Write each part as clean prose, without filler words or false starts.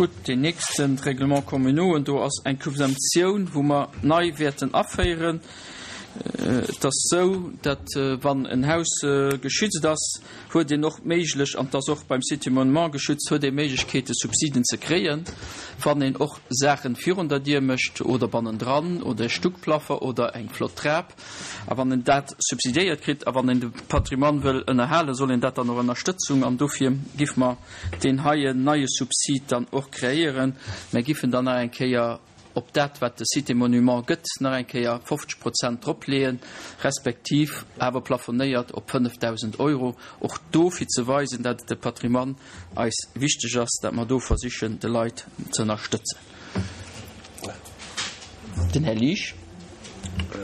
Gutt, deen nächsten, d'Règlements communaux, do ass eng Subventioun, wou mer nei wäerten aféieren. Et ass esou, datt wann en Haus geschützt ass, huet een och d'Méiglech, an et ass och beim Site du Monument geschützt, huet ee Méiglechkeete Subsiden ze kréien, wann een och Saachen virun der Dier mécht oder bannendran oder e Stuckplaffer oder eng flott Trap. A wann en dat subsidiéiert kritt a wann een de Patrimoine wëll ënnerhalen, soll een dat dann och ënnerstëtzung. An dofir giff mer deen heien neie Subsid dann och kreéieren. Mer giffen dann nach eng Kéier op dat, wat de Site des Monuments gëtt, nach eng Kéier 50 Prozent dropleeën, respektiv awer plafonéiert op 5.000 Euro, och do fir ze weisen, dat de Patrimoine eis wichteg ass, dat mer do versichen, de Leit ze ënnerstëtzen. Den Här Liesch.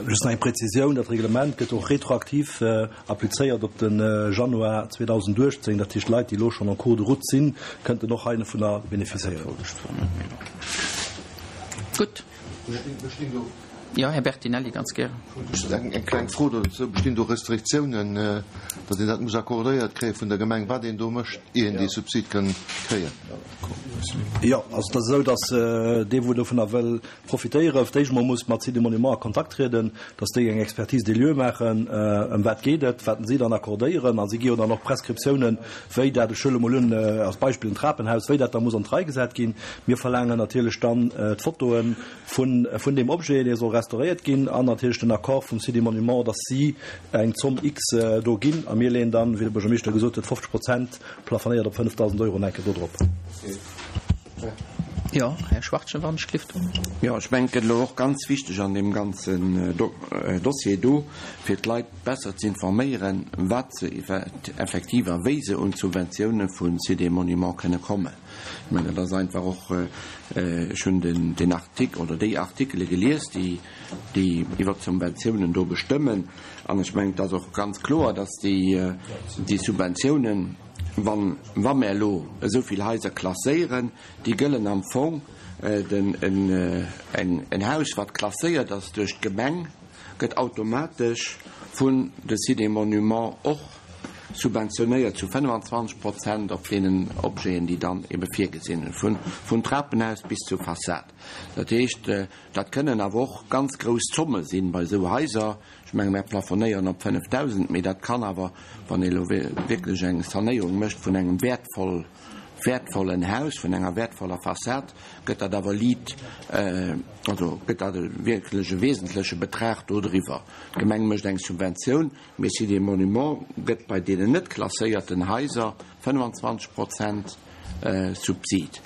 Just nach eng Präzisioun, Dat Reglement gëtt och retroaktiv applizéiert op de Januar 2018. Dat heescht, Leit, déi elo schonn en cours de route sinn, kënnten och heivunner bénéficiéieren. Gutt. Jo, Här Bertinelli, ganz gären. Just eng kleng Fro dozou, Bestinn do Restriktiounen, datt een dat muss accordéiert kréie vun der Gemeng, wat een do mécht, ier een dee Subsid kann kréien? Jo, also et ass esou, datt dee wou dovunner wëll profitéieren, fir d'éischt emol muss mat Sites et Monuments a Kontakt trieden, datt déi eng Expertise des lieux maachen, ëm wat geet et, wat si dann accordéieren, a si gi jo dann och Prescriptiounen, wéi dat, ech huele mol un als Beispill en Trapenhaus, wéi dat da muss an d'Rei gesat ginn. Mir verlaangen natierlech dann d'Fotoe vun vun deem Objet, dee soll restauréiert ginn, an natierlech den Accord vum Sites et Monuments, datt si eng Zomm X do ginn, a mir leeën dann, wéi de Buergermeeschter gesot huet, 50 Prozent Plafonéiert op 5.000 Euro enke do drop. Jo, Här Schwachtgen, wann ech gelift. Jo, ech mengen, et gëtt elo och ganz wichteg an deem ganzen Dossier do, fir d'Leit besser ze informéieren, wat se effektiv a wéi se un d'Subventioune vu Sites et Monuments kënne kommen. Ech mengen, dat ass einfach och, ech hunn den Artikel oder déi Artikele gelies, déi déi iwwert d'Subventiounen do bestëmmen. An ech mengen, et ass och ganz kloer, dass déi Subventiounen, wann, wa mer elo esou vill Haiser klasséieren, déi gëllen am Fong, den, en Haus, wat klasséiert ass duerch d'Gemeng, gëtt automatesch vun de Sites et Monuments och subventionéiert zu 25 Prozent op deenen Objeten, déi dann ebe virgesinn hunn, vun Trapenhaus bis zur Fassad. Dat heescht, dat kënnen awer och ganz grouss Zomme sinn bei esou Haiser. Ech menge mär plafonéieren op 5.000, mee dat kann awer, wann ee elo wierklech eng Sanéierung mécht vun engem wäertvoll, wäertvollen Haus, vun enger wäertvoller Fassad, gëtt dat awer liit, also gëtt dat wierklech e wesentleche Betrag do driwwer. D'Gemeng mécht eng Subventioun, mee Sites et Monuments gëtt bei deenen net klasséierten Haiser 25 Prozent Subsid,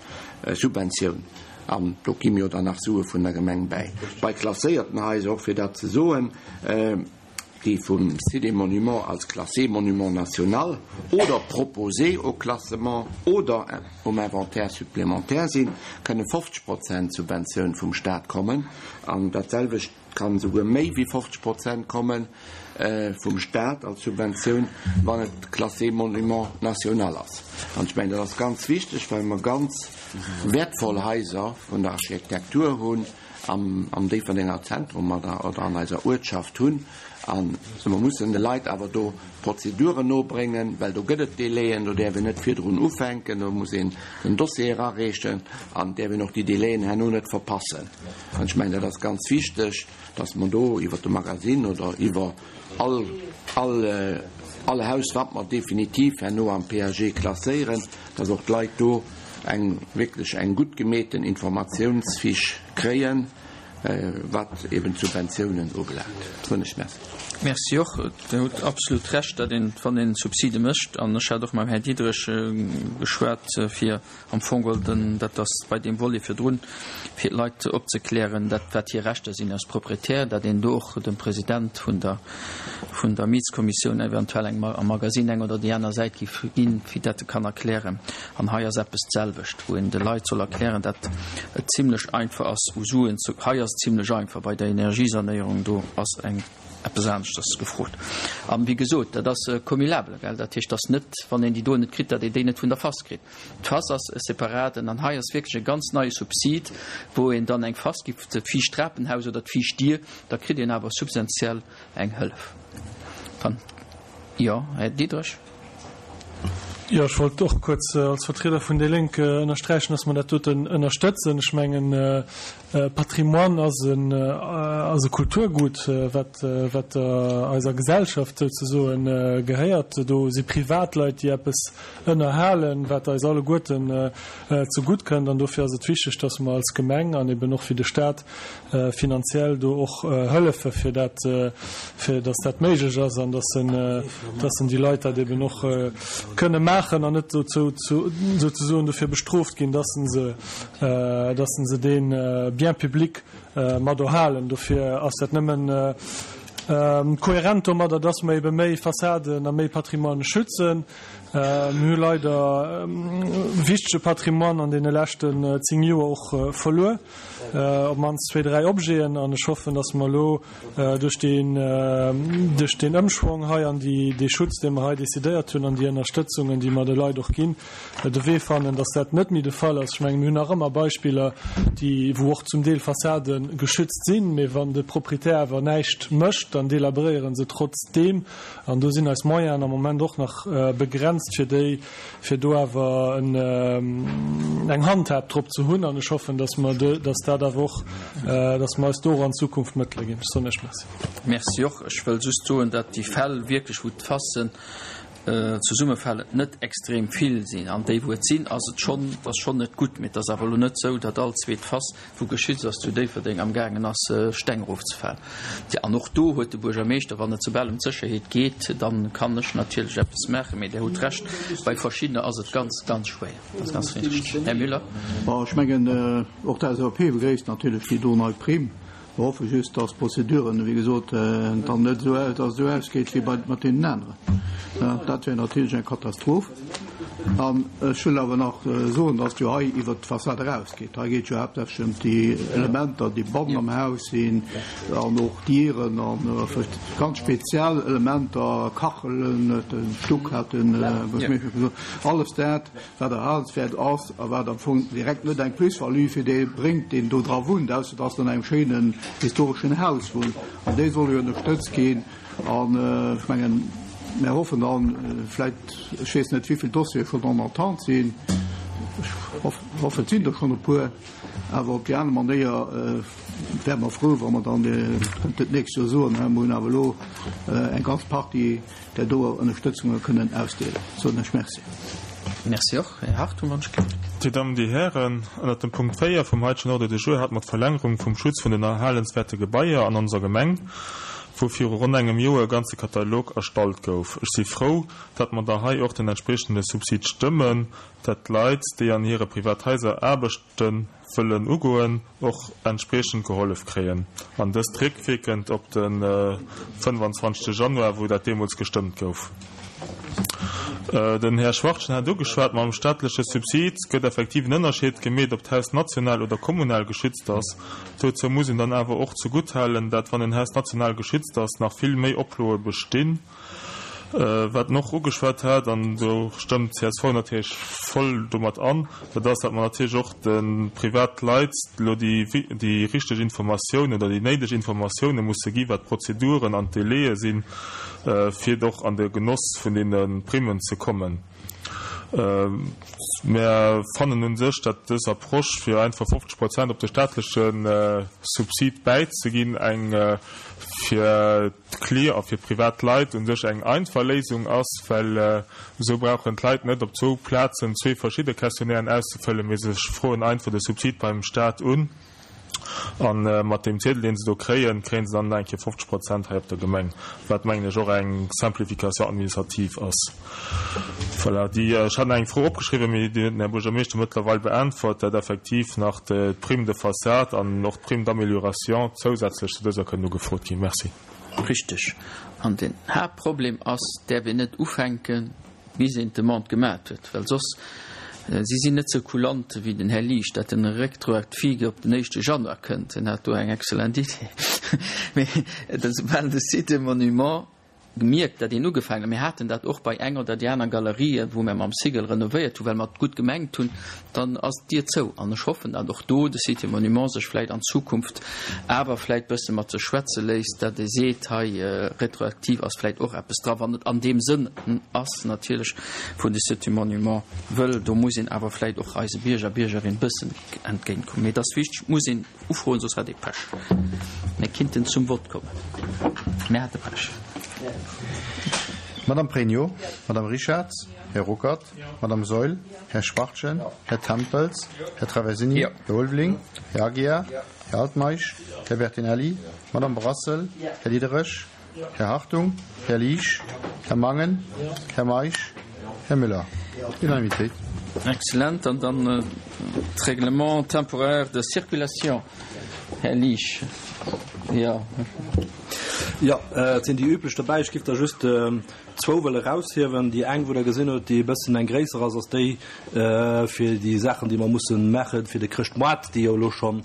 Subventioun, an do gi mir jo dann nach Sue vun der Gemeng bäi. Bei klasséierten Haiser, och fir dat ze soen, déi vum Site et Monuments als classé monument national oder proposé au classement oder um Inventaire supplémentaire sinn, kënne 50 Prozent Subventioun vum Stat kommen an dat selwecht kann esouguer méi wéi 50 Prozent komme vum Stat als Subventioun, wann et classé monument national ass. An ech mengen, dat ass ganz wichteg, well mer ganz wäertvoll Haiser vun der Architektur hunn am, am Déifferdenger Zentrum oder, oder an eiser Uertschaft hunn. A mer mussen de Leit awer do d'Prozeduren nobréngen, well do gëtt et Délaiën, do däerf een net virdrun ufänken, do muss een den Dossier erareechen an däerf een och déi Délaiën herno net verpassen. An ech mengen, dat ass ganz wichteg, dass mer do iwwer de Magasinn oder iwwer all, all, all Haus, wat mer definitiv herno am PAG klasséieren, dass och d'Leit do eng wierklech eng gutt gemeeten Informatiounsfiche kréien, wat eben d'Subventiounen ubelaangt. Soen ech Merci. Merci och. Dir hutt absolut Recht, datt een, wann een Subside mécht, an ech hat och mam Här Diderich geschwat, fir Am Fong geholl den, dat ass bei deem Volet virdrun, fir d'Leit opzeklären, dat wat hir Rechter sinn als Proprietär, dat een do och dem President vun der, vun der Mietskommissioun eventuell eng am Magasinn eng oder déi aner Säit giff ginn, fir dat e kann erklären. An hei ass eppes d'selwecht, wou een de Leit soll erklären, dat et zimlech einfach ass u Suen ze, hei ass et zimlech einfach, bei der Energiesanéierung do ass eng eppes aneschters gefrot. An, wéi gesot, dat ass cumulable, gell, dat heescht, dass net, wann een déi do net kritt, datt een déi net vun der FAS kritt. D'FAS ass e separaten, an hei ass wierklech e ganz neie Subsid, wou een dann eng FAS giff, d'viischt Trapenhaus oder d'viischt Dier, da kritt een awer substantiell eng Hëllef. Dann, jo, Här Diderich. Jo, ech wollt och kuerz als Vertrieder vun déi Lénk ënnersträichen, dass mer dat doten ënnerstëtzen. Ech mengen, Patrimoine ass en, ass e Kulturgut, wat, wat der eiser Gesellschaft souzesoen gehéiert. Do si Privatleit, déi eppes ënnerhalen, wat eis alleguerten zegutt kënnt. An dofir ass et wichteg, dass mer als Gemeng an eben och wéi de Stat finanziell do och hëllefe fir dat, fir dass dat méiglech ass an dass en, dass en déi Leit dat eben och kënne maachen an net dozou souzesoen dofir bestrooft ginn, dass en se, dass en se dee Bien public mat erhalen. Dofir ass dat nëmmen kohärent domadder, dass mer ebe méi Fassaden a méi Patrimoine schützen. Mir hu leider wichtege Patrimoine an deene leschten 10 Joer och verluer. op d'mannst zwee, dräi Objeten an ech hoffen, dass mer elo duerch deen, duerch deen Ëmschwong hei an déi, dee Schutz, dee mer hei decidéiert hunn an déi Ënnerstëtzungen, déi mer de Leit och ginn, de Wee fannen, dass dat net méi de Fall ass. Ech mengen, mir hunn nach ëmmer Beispiller, déi, wou och zum Deel Fassade geschützt sinn, mee wann de Proprietär awer näischt mécht, dann delabréiere se trotzdeem an do sinn eis Moyenen am Moment och nach begrenzt, fir déi, fir do awer eng Handhab drop ze hunn, an ech hoffen, dass mer, dass dat awer och, dass mer eis do och an Zukunft Mëttele ginn. Ech soen Iech Merci. Merci och. Ech wëll just soen, datt déi Fäll wierklech, wou d'Fassen zesummefalen, net extrem vill sinn. An déi, wou et sinn, ass et schonn, ass schonn net gutt. Mee et ass awer elo net esou, datt all zweet Fass wou geschützt ass, zu Déifferdeng amgaangen ass, Steng erofzefalen. Tja, an och do huet de Buergermeeschter, wann et soubal ëm d'Sécherheet geet, da kann ech natierlech eppes maachen, mee Der hutt Recht, bei verschiddener ass et ganz, ganz schwéier. Dat ass ganz richtig. Här Müller. Bon, ech mengen, och d'LSAP begréisst natierlech déi do nei Primm. Mer hoffe just, dass d'Prozeduren, wéi gesot, dann net esou, dass et esou ausgeet wéi bei, mat deenen aneren. Dat wär natierlech eng Katastroph. An ech wëll awer nach soen, dass et jo hei iwwert d'Fassad erausgeet. Hei geet jo haaptsächlech ëm déi Elementer, déi bannen am Haus sinn an och Dieren a ganz speziell Elementer, Kachelen, den Stuck hat den Buergermeeschter gesot, alles dat, wat erhalenswäert ass a wat am Fong direkt net eng Plus-value fir dee bréngt, deen do dra wunnt, ausser dass en an engem schéinen historeschen Haus wunnt. An déi solle jo ënnerstëtzt ginn. An ech mengen, mär hoffen dann vläicht, ech weess net, wéi vill Dossiere schonn en attente sinn, ech hoffen, et sinn der schonn e puer, awer op déi aner Manéier wäre mer frou, wa mer dann kënnten d'nächst Joer soen, hei, mer hunn awer elo eng ganz Partie där doer Ënnerstëtzunge kënnen ausdeelen. Soen ech Merci. Merci och. Här Hartung, wann ech gelift. Dir Dammen, Dir Hären, ënnert dem Punkt 4 vum heitegen Ordre du jour hate mer d'Verlängerung vum Schutz vun den erhalenswäerte Gebaier an onser Gemeng, wou viru ronn engem Joer e ganze Katalog erstallt gouf. Ech si frou, datt mer da hei och den entspriechende Subsid stëmmen, datt d'Leit, déi an hire Privathaiser Aarbechte wëllen ugoen, och entspriechend gehollef kréien, an dëst réckwierkend op de 25 Januar, wou dat deemools gestëmmt gouf. Den Här Schwachtgen hat ugeschwat, mam staatleche Subsid gëtt effektiv en Ënnerscheed gemeet, ob d'Haus national oder kommunal geschützt ass. Dozou muss een dann awer och zegutthalen, dat wann en Haus national geschützt ass, nach vill méi Oploe bestinn. Wat en och ugeschwat hat, an do stëmmt csv natierlech voll domat an, dat ass, datt mer natierlech och de Privatleit elo déi richteg Informatiounen oder déi néideg Informatioune musse gi wat d'Prozeduren an d'Délaie sinn, fir och an de Genoss vun deene Primmen ze kommen. Mär fannen u sech, datt dës Approche, fir einfach 50 Prozent op de staatleche Subsid bäizeginn, eng fir d'Clier a fir privat Leit u sech eng einfach Léisung ass, well esou brauchen d'Leit net op zwou Plazen zwee verschidde Questionnairen auszefëllen, mee se froen einfach de Subsid beim Staat un a mat deem Ziedel, dee se do kréien, kréie se dann nach eng Kéier 50 Prozent hei op der Gemeng, wat, mengen ech, och eng Simplification administrative ass. Voilà, déi, ech hat nach eng Fro opgeschriwwen, mee déi huet den Här Buergermeeschter mëttlerweil beäntwert, dat effektiv nach d'Prime de façade an och d'Prime d'amélioration zousätzlech zu dëser kënnen ugefrot ginn. Merci. Richteg. An den Haaptproblem ass, däerf een net ufänken, bis een d'Demande gemat huet, well soss, si sinn net sou kulant wéi den Här Liesch, dat en retroactive op den éischte Januar kënnt. Hien hat do eng excellent Idee. Mee soubal de Site des Monuments. mierkt, datt een ugefaangen, mir haten dat och bei eng oder déi aner Galerie, wou mir mam Sigel renovéiert hunn, well mer et gutt gemengt hunn, dann ass d'Dier zou. An ech hoffen, datt och do de Sites et Monuments sech vläicht an Zukunft awer vläicht bësse mat sech schwätze léisst, datt ee seet, hei retroaktiv ass vläicht och eppes dra, wann et an deem Sënn ass natierlech, wou de Sites et Monuments wëll. Do muss een awer vläicht och eise Bierger, Biergerin bëssen entgéintkommen. Mee et ass wichteg, et muss een ufroen, soss hat ee Pech. Mir kinnten zum Vott kommen. Mir hate Pech. Madame Pregno, Madame Richarz, Här Ruckert, Madame Saeul, Här Schwachtgen, Här Tempels, Här Traversini, Här Ulveling, Här Aguiar, Här Altmeisch, Här Bertinelli, Madame Brassel, Här Diderich, Här Hartung, Här Liesch, Här Mangen, Här Meisch, Här Müller. Unanimitéit. Excellent. An dann d'Règlement temporaire de circulation, Här Liesch. Jo. Jo, et sinn déi üblech dobäi. Ech giff der just zwou wëlle eraushiewen. Déi eng, wou Der gesinn hutt, déi e bëssen eng gréisser ass, ass déi fir déi Saachen, déi mer mussen maache fir de Chrëschtmoart, déi jo elo schonn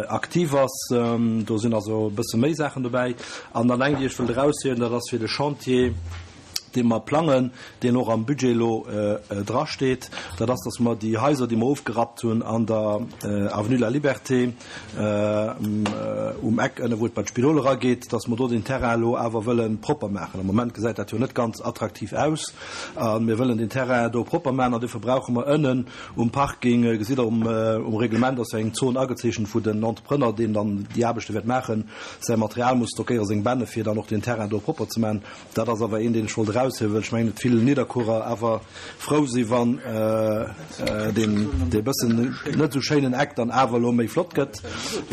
aktiv ass. Do sinn also e bësse méi Saachen dobäi. An dann eng, déi ech wëllt eraushiewen, dat ass fir de Chantier, dee mer plangen, deen och am Budget elo drasteet, dat ass, dass mer déi Haiser, déi mer ofgerappt hunn an der Avenue de la Liberté um Eck ënne wou et bei d'Spidol erageet, dass mer do den Terrain elo awer wëlle propper maachen. Am Moment gesäit dat jo net ganz attraktiv aus a mir wëllen den Terrain do propper maachen an dofir brauche mer ënnen um Parking, gesitt Der um Reglement ass jo eng Zon agezeechent, wou den Entrepreneur, deen dann déi Aarbechte wäert maachen, säi Material muss stockéieren, seng Bänne, fir dann och den Terrain do propper ze maachen. Dat ass awer een, deen ech wollt eraushiewen, well ech mengen, datt vill Nidderkuerer awer frou si wann deen dee bëssen net esou schéinen Eck dann awer elo méi flott gëtt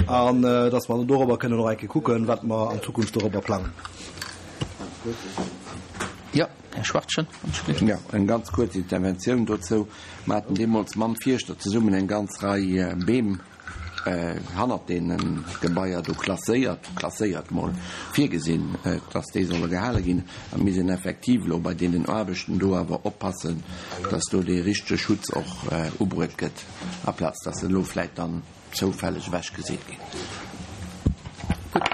an datt mer dann dorobber kënnen och eng Kéier kucken, wat mer an Zukunft dorobber plangen. Jo, Här Schwachtgen. Jo, eng ganz kuerz Interventioun dozou. Mer haten deemools mam Fierschter zesummen eng ganz Rei Beem hannert deene Gebaier do klasséiert, klasséiert mol, virgesinn, dass déi solle gehale ginn. A mir sinn effektiv elo bei deenen Aarbechten do awer oppassen, dass do dee richtege Schutz och ubruet gëtt, aplaz dass se elo vläicht dann zoufälleg ewechgeseet ginn. Gutt.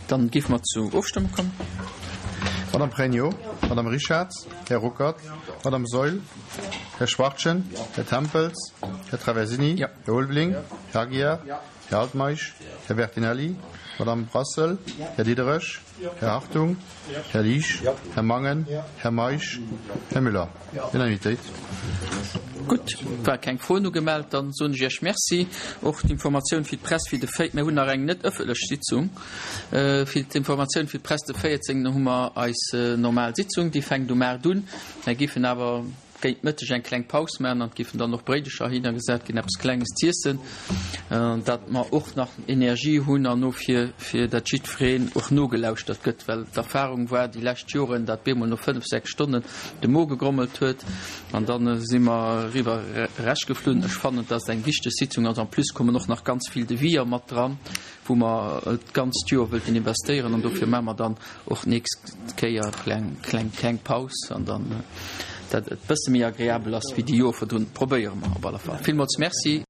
Dann géife mer zur Ofstëmmung kommen. Madame Pregno, Madame Richarz, Här Ruckert, Madame Saeul, Här Schwachtgen, Här Tempels, Här Traversini, Här Ulveling, Här Aguiar, Här Altmeisch, Här Bertinelli, Madame Brassel, Här Diderich, Här Hartung, Här Liesch, Här Mangen, Här Meisch, Här Müller. Unanimitéit. Gutt, war keng Froen ugemellt. Dann soen ech Iech Merci. Och d'Informatioun fir d'Press fir de 4. Mir hunn nach eng net ëffentlech Sitzung. Fir d'Informatioun fir d'Press, de 14. hu mer eis normal Sitzung. Déi fänkt um 8 un. Mir giffen awer géint Mëtteg eng kleng Paus maachen an et giffen dann och Bréidecher hinnergesat ginn, eppes Klenges z'iessen, datt mer och nach Energie hunn an no fir fir datt jiddwereen och nogelauschtert gëtt, well d'Erfahrung war déi lescht Joren, datt bemol no 5, 6 Stonnen de Mo gegrommelt huet an da si mer eriwwer erechgeflunn. Ech fannen, datt et eng wichteg Sitzung ass. En plus kommen och nach ganz vill Deviser mat dran, wou mer d'ganzt Joer wëllten investéieren an dofir maache mer dann och d'nächst Kéier kleng kleng kleng Paus an dann dat et bësse méi agreabel ass wéi déi Joer virdrun. Probéiere mer op alle Fall. Villmools Merci.